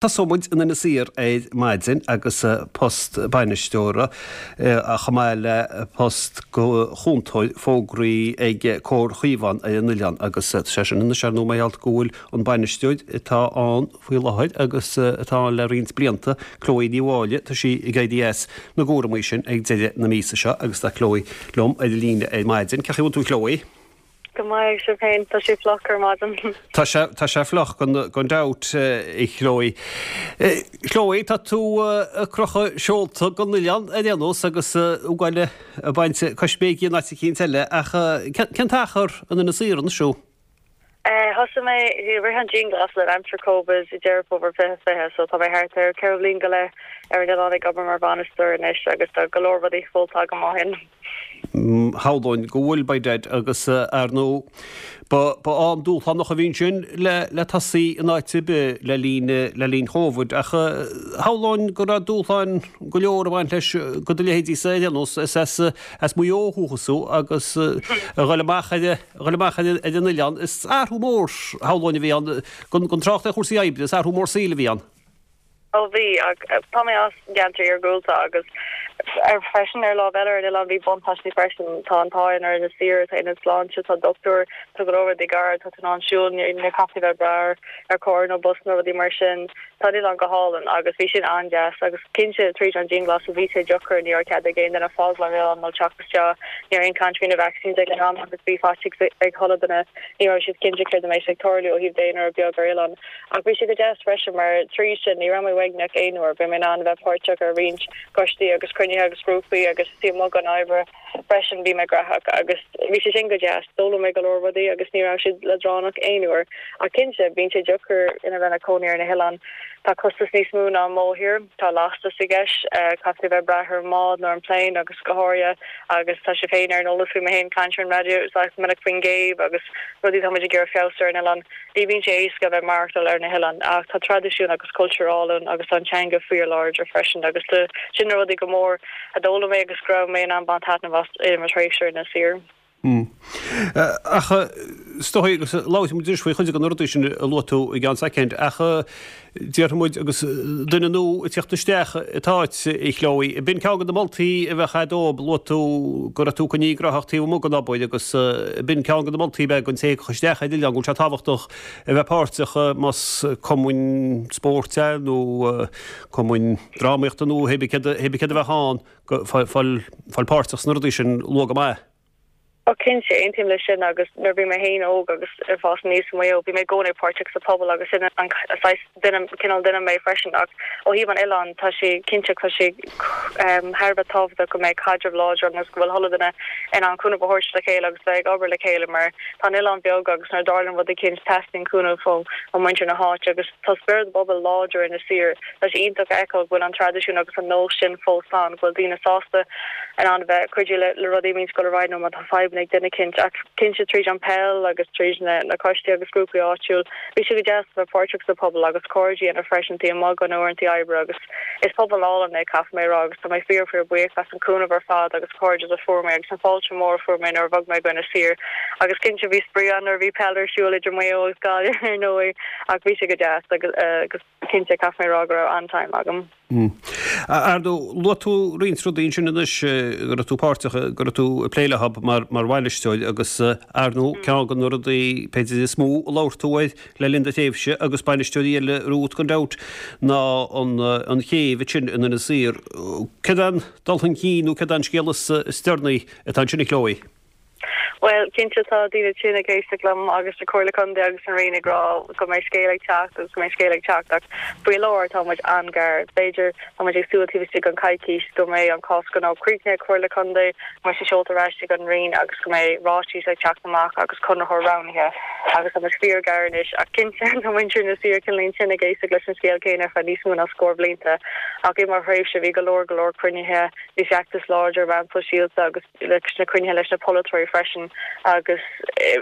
Tosóidh muid in Inis Oírr ar maidin agus post bainisteora chomh maith le post chúntóir fógraí ag Comhar Chaomhán ar an oileán agus tá sé sin anois ar ndóigh mar gheall go bhfuil an bainisteoir atá ann faoi láthair agus atá ann le roinnt blianta, Chloe Ní Mháille, tá sí ag éirí as na gcúramaí sin ag deireadh na míosa seo agus tá Chloe liom ar an líne ar maidin. Cén chaoi a bhfuil tú a Chloe? Go maith, agus sibh féin? Tá sé fliuch ar maidin. Tá sé, tá sé fliuch gan, gan dabht, a Chloe. Chloe, tá tú ag crochadh seolta don oileán ar aon nós agus ag goil ag baint coisméigí in áit eicínt eile, ach cén t-achar in Inis Oírr anois thú? Thosaigh mé i rith an dianghlasáil in aimsir Covid i Deireadh Fómhair 2020, so tá mé thart ar 4 bhliain go leith ar an oileán ag obair mar bhainisteoir anois agus tá go leor rudaí fóghlamtha agam ó shin. Shamhlóinn go bhfuil, by dad, agus ar ndóigh, ba, ba am dúshlánach a bhí ansin le, le tosaí in áit ar bith le linn, le linn Chóvid, ach shamhlóinn go raibh dúshláin go leor ag baint leis do do leithéidí-sa ar aon nós, is as, as Maigh Eo ó dhúchas thú agus a dhul amach ar, a dhul amach ar, ar an oileán, is athrú mór, shamhlóinn a bhí ann, gan, gan trácht ar chúrsaí oibre, is athrú mór saoil a bhí ann. Ó bhí, ach tá mé as gceantar iargúlta agus ar freisin ar lámh eile ar an oileán bhí buntáistí freisin. Tá an t-ádh ar Inis Oírr, tá ionad sláinte, tá dochtúir, tá go leor rudaí gar, tá tú in ann siúl, ní chaithfidh tú bheith ag brath ar carr nó bus nó rudaí mar sin. Tá an oileán go hálainn agus bhí sin an-deas agus cinnte tríd an dianghlasáil bhí sé deacair, ní raibh cead ag aon duine fágáil an oileán nó teacht isteach, ní raibh aon caint faoi na vaccines ag an am agus bhí faitíos ag chuile duine, ní raibh siad cinnte céard a mbeidh ag tarlú ó thaobh daonra beag ar oileán. Ach bhí sé go deas freisin mar tríd sin ní raibh mé uaigneach aon uair. Bhí mé in ann a bheith páirteach ar roinnt coistí agus cruinnithe agus grúpaí agus taobh amuigh den obair freisin bhí mé graitheach agus bhí sé sin go deas. D'fhoghlaim mé go leor rudaí agus ní raibh sé leadránach aon uair. Ach cinnte, bíonn sé deacair ina bheith ina cónaí ar na hoileáin. Tá costas níos mó ná an mórthír, tá lastas i gceist, caithfidh tú a bheith ag brath ar an mbád nó ar an plane agus go háirithe agus tá sibh féin ar an eolas faoi mé féin caint ar an raidió sách minic faoin gcéibh agus rudaí tá muid ag iarraidh feabhsú ar an oileán. Ní bhíonn sé éasca a bheith maireachtáil ar na hoileáin ach tá traidisiún agus cultúr álainn agus tá an teanga fíor-láidir freisin agus sin na rudaí go mór a d'fhoghlaim mé agus go raibh mé in ann baint taitneamh as i mo thréimhse ar Inis Oírr. Ach is dóigh, agus labhróidh muid anois faoi chuid de na rudaí sin a luaigh tú i gceann soicind, ach déarfaidh muid, agus duine nua ag tíocht isteach an t-áit, a Chloe, b'in ceann de na moltaí a bheadh a'd dóibh, luaigh tú go raibh tú coinnithe gnóthach taobh amuigh den obair agus b'in ceann de na moltaí a bheadh don té a thiocfadh isteach ar an oileán, go bhfuil sé tábhachtach a bheith páirteach más cumainn spóirt é nó cumainn drámaíochta nó hé bith céard a bheadh ann, fáil páirteach sna rudaí sin luath go maith. Ó cinnte, aontaím leis sin agus nuair a bhí mé féin óg agus ag fás aníos i Maigh Eo, bhí mé i gcónaí páirteach sa phobal agus sin an saghas duine, cineál duine mé freisin ach ó thaobh an oileáin, tá sé cinnte, tá sé thar a bheith tábhachtach go mbeidh caidreamh láidir ann agus go bhfuil chuile duine in ann cúnamh a thabhairt le chéile agus bheith ag obair le chéile mar tá an oileán beag agus nuair a dtarlaíonn rud eicínt teastaíonn cúnamh ó mhuintir na háite agus tá spiorad an phobail láidir in Inis Oírr. Tá sé iontach a fheiceáil go bhfuil an traidisiún agus an nós sin fós ann, go bhfuil daoine sásta in ann a bheith ag cuidiú le rudaí a bhíonns ag dul ar aghaidh nó má tá fadhbanna ag duine eicínt. Ach cinnte tríd an peil agus tríd na coistí agus grúpaí áitiúil, bhí sé go deas a bheith páirteach sa phobal agus cairde a dhéanamh freisin taobh amuigh de na uaireanta oibre agus is pobal álainn é caithfidh mé a rá agus tá mé fíor fíor buíoch as an cúnamh ar fad agus cairdeas a fuair mé agus an fáilte mór a fuair mé nuair a bhog mé go Inis Oírr agus cinnte bhí spraoi ann nuair a bhí peil ar siúl idir Maigh Eo agus Gaillimh ar ndóigh ach bhí sé go deas agus Cinnte, caithfidh mé a rá go raibh an-time agam. Ar ndóigh, luaigh tú roinnt rudaí ansin anois go raibh tú páirteach, go raibh tú ag plé leo mar mar bhainisteoir agus ar ndóigh ceann de na rudaí b'fhéidir is mó a labhair tú air le linn do thréimhse agus bainisteoirí eile romhat gan dabht ná an an chéibh ansin in Inis Oírr. Céard é an dul chun cinn nó céard é an scéal is deireanaí atá ansin a Chloe? Bhuel, cinnte tá daoine tinn ag éisteacht liom agus na Comhairle Contae agus an Roinn ag rá go mbeidh scéal ag teacht agus go mbeidh scéal ag teacht ach faoi láthair tá muid an-ghar. B'fhéidir, tá muid ag súil taobh istigh den coicís go mbeidh an cás gnó críochnaithe ag Comhairle Contae, go mbeidh sé seolta ar ais chuig an Roinn agus go mbeidh ráitis ag teacht amach agus conraitheoir roghnaithe agus tá muid fíor-ghar anois ach cinnte tá muintir Inis Oírr cineáilín tinn ag éisteacht leis an scéal céanna ar feadh níos mó ná scór blianta ach i mo thréimhse bhí go leor go leor cruinnithe, bhí feachtas láidir ar mheáin sóisialta agus leis na cruinnithe leis na polaiteoirí freisin agus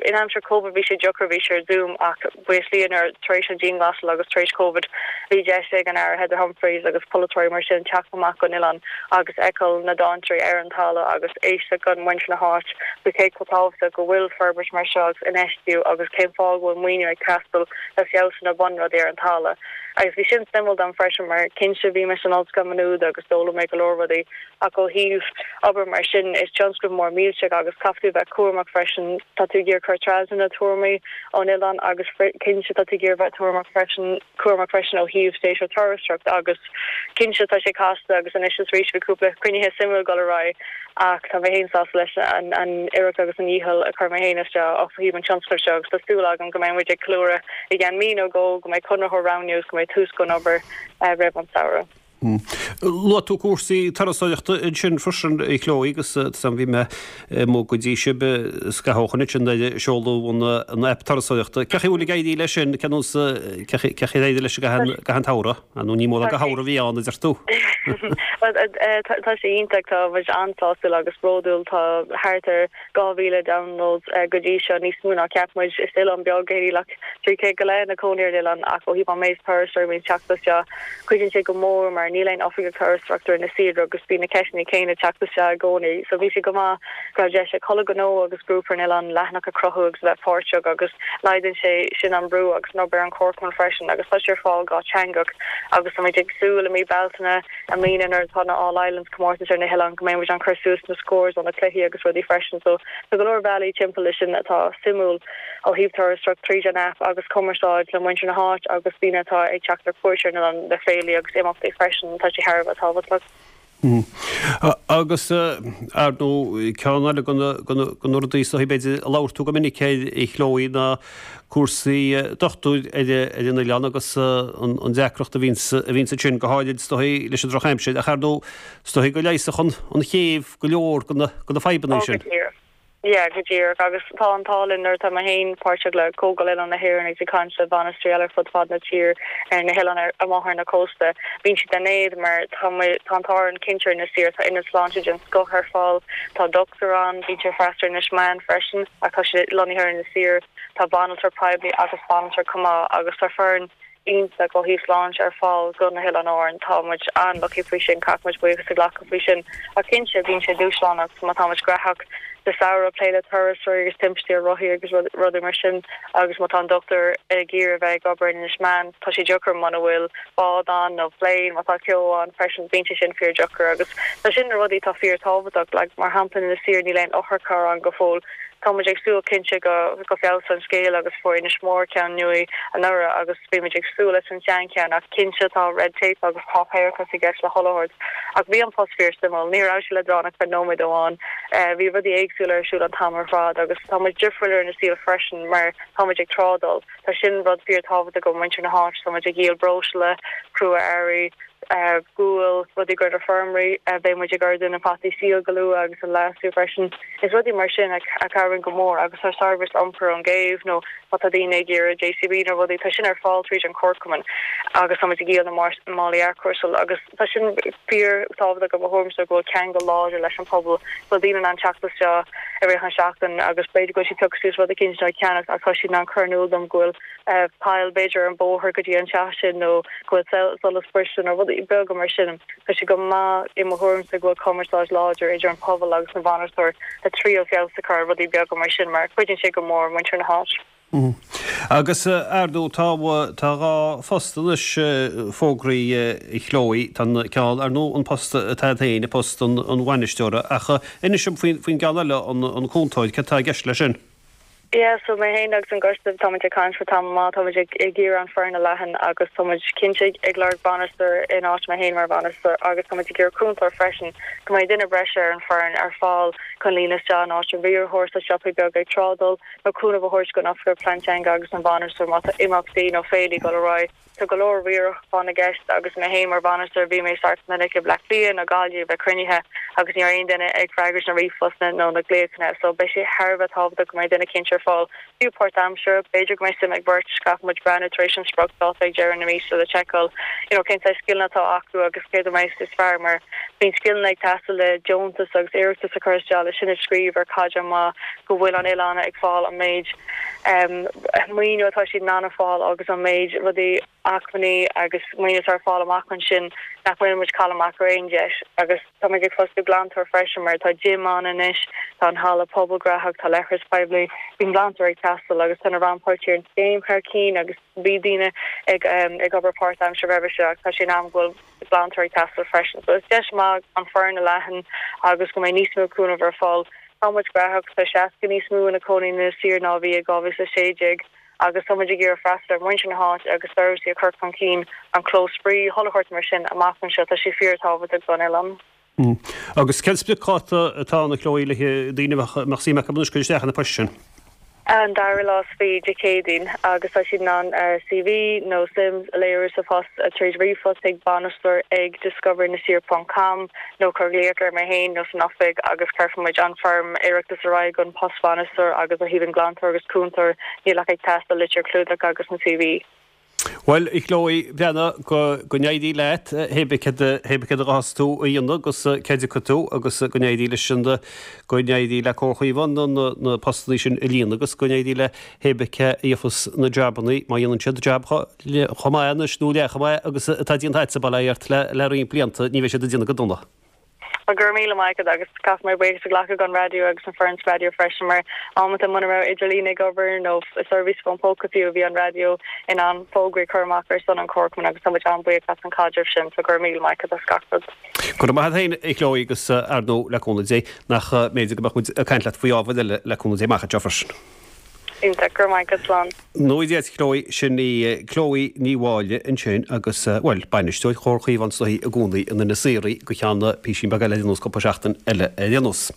in aimsir Covid bhí sé deacair, bhí sé ar Zoom ach buíochas le Dia nuair tar éis an dianghlasáil agus tar éis Covid bhí deis ag an Aire Heather Humphreys agus polaiteoirí mar sin teacht amach gon oileán agus fheiceáil na dainséirí ar an talamh agus éisteacht gon muintir na háit faoi cé chomh tábhachtach go bhfuil forbairt mar seo agus infheistiú agus cén fáth go bhfuil maoiniú ag teastáil le feabhsú na bunrudaí ar an talamh. Agus bhí sin suimiúil dom freisin mar cinnte bhí mé san Ollscoil Maigh Nuad agus d'fhoghlaim mé go leor rudaí ach ó thaobh obair mar sin is tionscnamh mór millteach agus caithfidh tú bheith cúramach freisin, tá tú ag iarraidh cur trasna na tuairimí ón oileán agus cinnte tá tú ag iarraidh bheith tuairimeach freisin, cúramach freisin ó thaobh séasúr turasóireacht agus cinnte tá sé casta agus anois is arís bhí cúpla cruinnithe suimiúil ag dul ar aghaidh ach tá mé féin sásta leis an iarracht agus an dhícheall a chuir mé féin isteach ó thaobh an tionscnaimh seo agus tá súil agam go mbeidh muid ag ceiliúradh i gceann mí nó dhó go mbeidh conraitheoir roghnaithe agus go mbeidh tús gon obair roimh an samhradh. Luaigh tú cúrsaí turasóireachta ansin freisin, a Chloe, agus tá bhí mé amuigh go dtí sibh scaitheamh ó shin ansin nuair a seoladh an aip turasóireachta. Cén chaoi a bhfuil ag éirí leis sin, cén nós, cén chaoi ar éirigh leis i gcaitheamh an tsamhraidh? Nó ní mórán de shamhradh a bhí ann, a deir tú. Bhuel, tá sé iontach, tá muid an-sástúil agus bródúil, tá thart ar 2,000 downloads go dtí seo, níos mó ná cheap muid. Is oileán beag é, níl ach 300 go leith ina cónaí ar an oileán ach ó thaobh an méid turasóirí a bhíonn ag teacht isteach, cuidíonn sé go mór mar níl aon oifigeach turasóireachta ar Inis Oírr agus bíonn na ceisteanna céanna ag teacht isteach i gcónaí. So bhí sé go maith go raibh deis ag chuile ghnó agus grúpa ar an oileán leathanach a chruthú agus a bheith páirteach agus laghdaíonn sé sin an brú agus an obair ar an chomharchumann freisin agus tá sé ar fáil dhátheangach agus tá muid ag súil i mí Bealtaine i mbliana nuair atá na All Islands comórtas ar na hoileáin go mbeidh muid ag cur suas na scores ó na cluichí agus rudaí freisin so tá go leor bealaí timpeall leis sin atá suimiúil ó thaobh turasóireacht tríd an aip agus cumarsáid le muintir na háit agus daoine atá ag teacht ar cuairt ar an oileán le féilí agus imeachtaí freisin tá sé thar a bheith tábhachtach. Agus, ar ndóigh, ceann eile de na rudaí is dóichí b'fhéidir a labhair tú go minic air, a Chloe, ná cúrsaí dochtúir ar an oileán agus an deacracht a bhíonns ansin, go háirid is dóichí leis an drochaimsir. Ach ar ndóigh, is dóichí go leigheasfadh an chéibh go leor de na fadhbanna sin. Ó, go díreach. Yeah, go díreach. Agus tá an t-ádh linn nuair atá mé féin páirteach le Comhdháil Oileáin na hÉireann agus ag caint le bainisteoirí eile ar fud fad na tír ar na hoileáin amach ar na cósta, bíonn siad in éad mar tá tá an t-ádh orainn cinnte ar Inis Oírr, tá ionad sláinte den scoth ar fáil, tá dochtúir ann, bíonn sé ag freastal ar Inis Meáin freisin ach tá sé lonnaithe ar Inis Oírr, tá banaltra poiblí agus banaltra chomh maith agus tá foireann iontach ó thaobh sláinte ar fáil go na hOileáin Árann. Tá muid an-lucky faoi sin, caithfidh muid buíochas a ghlacadh faoi sin. Ach cinnte, bíonn sé dúshlánach má tá muid graitheach sa samhradh, plé le turasóirí agus timpistí ar rothaí agus rudaí mar sin agus má tá an dochtúir ag iarraidh a bheith ag obair in Inis Meáin, tá sé deacair muna bhfuil bád ann nó plane, má tá ceo ann freisin, bíonn sé sin fíor-deacair agus tá sin na rudaí atá fíor-tábhachtach. Like, mar shampla in Inis Oírr níl aon otharcharr ann go fóill. Tá muid ag súil cinnte go go feabhsóidh an scéal agus fuair Inis Mór ceann nua anuraidh agus bhí muid ag súil leis an seancheann ach cinnte tá red tape agus páipéarachas i gceist le chuile shórt. Ach bhí an post fíor suimiúil, ní raibh sé leadránach ar feadh nóiméad amháin. Bhí rudaí éagsúla ar siúl an t-am ar fad agus tá muid difriúil ar Inis Oírr freisin mar tá muid ag trádáil. Tá sin rud fíor tábhachtach do mhuintir na háite, tá muid ag díol breosla, crua-earraí, gual, rudaí do na feirmeoirí, beidh muid ag ordú na fataí síl go luath agus an leasú freisin. Is rudaí mar sin a chabhraíonn go mór agus tá seirbhís iompair ón gcéibh nó má tá daoine ag iarraidh JCB nó rudaí, tá sin ar fáil tríd an Chomharchumann agus tá muid ag díol na málaí athchúrsála agus tá sin fíor tábhachtach i mo thuairimse go bhfuil ceangal láidir leis an pobal, go bhfuil daoine in ann teacht isteach i rith an seachtain agus b'fhéidir go bhfuil siad piocadh suas rud eicínt nó ag ceannacht ach tá siad in ann cur in iúl dom go bhfuil poll b'fhéidir ar an bóthar go dtí an teach sin nó go bhfuil solas briste nó rudaí beaga mar sin. Tá sé go maith i mo thuairimse go bhfuil cumarsáid láidir idir an pobal agus an bhainisteoir le triail feabhas a chur ar rudaí beaga mar sin mar cuidíonn sé go mór muintir na háite. Agus ar ndóigh tá tá 2 phost anois fógraithe a Chloe, tá an ceann ar ndóigh an post atá agat féin, post an bhainisteora ach inis dom faoin gceann eile an cúntóir, céard atá i gceist leis sin? Yeah, so mé féin agus an coiste, tá muid ag caint le tamall maith, tá muid ag iarraidh an foireann a leathan agus tá muid cinnte ag lorg bainisteoir in áit mé féin mar bhainisteoir agus tá muid ag iarraidh cúntóir freisin, go mbeidh duine breise ar an foireann ar fáil chun líonadh isteach in áit an riarthóir sa siopaí beaga ag trádáil nó cúnamh a thabhairt don oifigeach plean teanga agus an bhainisteoir má tá imeachtaí nó féilí ag dul ar aghaidh. Tá go leor riaracháin i gceist agus mé féin mar bhainisteoir bhí mé sách minic i Bleá Cliath nó Gaillimh ag cruinnithe agus ní raibh aon duine ag freagairt na ríomhphostanna nó na glaochanna so beidh sé thar a bheith tábhachtach go mbeidh duine cinnte ar fáil, fiú páirtaimseartha. B'fhéidir go mbeidh suim ag beirt, caithfidh muid breathnú tar éis an spriocdháta ag deireadh na míosa le seiceáil you know cén saghas scileanna atá acu agus céard a mbeidh is fearr mar bíonn scileanna ag teastáil le deontas agus iarratas a chur isteach le sin a scríobh ar chaighdeán maith go bhfuil an oileán ag fáil an méid maoiniú atá siad in ann a fáil agus an méid rudaí. Acmhainní agus maoiniú atá ar fáil amach ansin nach bhfuil muid ag cailleadh amach ar aon deis agus tá muid ag fostú glantóir freisin mar tá gym ann anois, tá an halla pobail gnóthach, tá leithreas poiblí, bíonn glantóir ag teastáil agus tá na rannpháirtithe ar an scéim thar cinn agus bhí daoine ag ag obair páirtaimseartha roimhe seo ach tá sé in am go bhfuil glantóir ag teastáil freisin. So is deis maith an foireann a leathan agus go mbeidh níos mó cúnamh ar fáil. Tá muid gnóthach, tá 60 níos mó ina cónaí in Inis Oírr ná a bhí i 2016. agus tá muid ag iarraidh freastal ar mhuintir na háite agus seirbhísí a chur chun cinn, an clós spraoi, chuile shórt mar sin amach anseo, tá sé fíor-tábhachtach don oileán. Agus cén spriocdháta atá ann, a Chloe, le daoine a mbeadh suim acu anois cur isteach ar na poist sin? An dara lá is fiche, Dé Céadaoin, agus tá siad in ann CV nó suim a léiriú sa phost tríd ríomhphost chuig bainisteoir ag discoverinisyoirr ponc com. nó cuir glaoch ar mé féin nó san oifig agus cuirfidh muid an foirm iarratais ar aghaidh don post bhainisteoir agus ó thaobh an glantóir agus cúntóir níl ach ag teastáil litir clúdach agus an CV. Bhuel, a Chloe, breathnaigh, go go n-éirí leat, hé bith céard a hé bith céard a ghabhfas tú a dhéanamh agus cá dtiocfaidh tú agus go n-éirí leis an go n-éirí le Comhar Chaomhán na na na postannaí sin a líonadh agus go n-éirí le hé bith cé a gheofas na jabannaí má dhéanann siad jab chomh maith anois nó leath chomh maith agus atá déanta agatsa, bail ó Dhia ort, le roinnt blianta, ní bheidh siad ag déanamh go dona. Bhuel, go raibh míle maith agat agus caithfidh mé buíochas a ghlacadh don raidió agus an foireann sa raidió freisin mar amanta muna raibh idirlíon ag obair nó seirbhís fón póca fiú bhí an raidió in ann fógraí a chur amach ar son an chomharchumainn agus tá muid an-bhuíoch as an chaidreamh sin so go raibh míle maith agat as gach rud. Go raibh maith agat féin, a Chloe, agus ar ndóigh, le cúnamh Dé, nach mb'fhéidir go mbeadh muid ag caint leat faoi ábhair eile le cúnamh Dé amach anseo freisin. Iontach, go raibh maith agat, slán. Nó Dia duit Chloe, sin í Chloe Ní Mháille ansin agus, bhuel, bainisteoir Chomhar Chaomhán is dóichí i gcónaí in Inis Oírr go ceann písín beag eile ar aon nós, cúpla seachtain eile ar aon nós.